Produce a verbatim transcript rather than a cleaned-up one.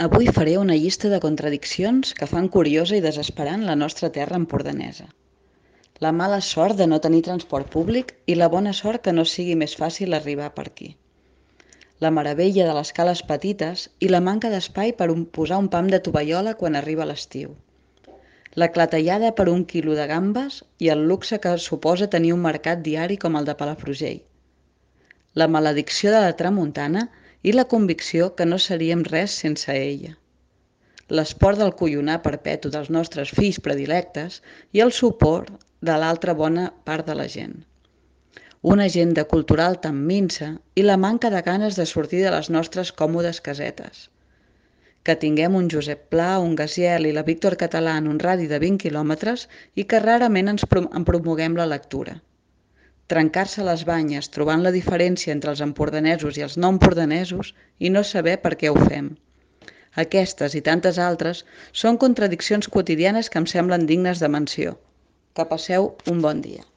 Avui faré una llista de contradiccions que fan curiosa i desesperant la nostra terra empordanesa. La mala sort de no tenir transport públic i la bona sort que no sigui més fàcil arribar per aquí. La meravella de les cales petites i la manca d'espai per un, posar un pam de tovallola quan arriba l'estiu. La clatellada per un quilo de gambes i el luxe que suposa tenir un mercat diari com el de Palafrugell. La maledicció de la tramuntana i la convicció que no seríem res sense ella. L'esport del collonar perpetu dels nostres fills predilectes i el suport de l'altra bona part de la gent. Una agenda cultural tan minsa i la manca de ganes de sortir de les nostres còmodes casetes. Que tinguem un Josep Pla, un Gaziel i la Víctor Català en un radi de vint quilòmetres i que rarament ens prom en promoguem la lectura. Trencar-se les banyes trobant la diferència entre els empordanesos i els no empordanesos i no saber per què ho fem. Aquestes i tantes altres són contradiccions quotidianes que em semblen dignes de menció. Que passeu un bon dia.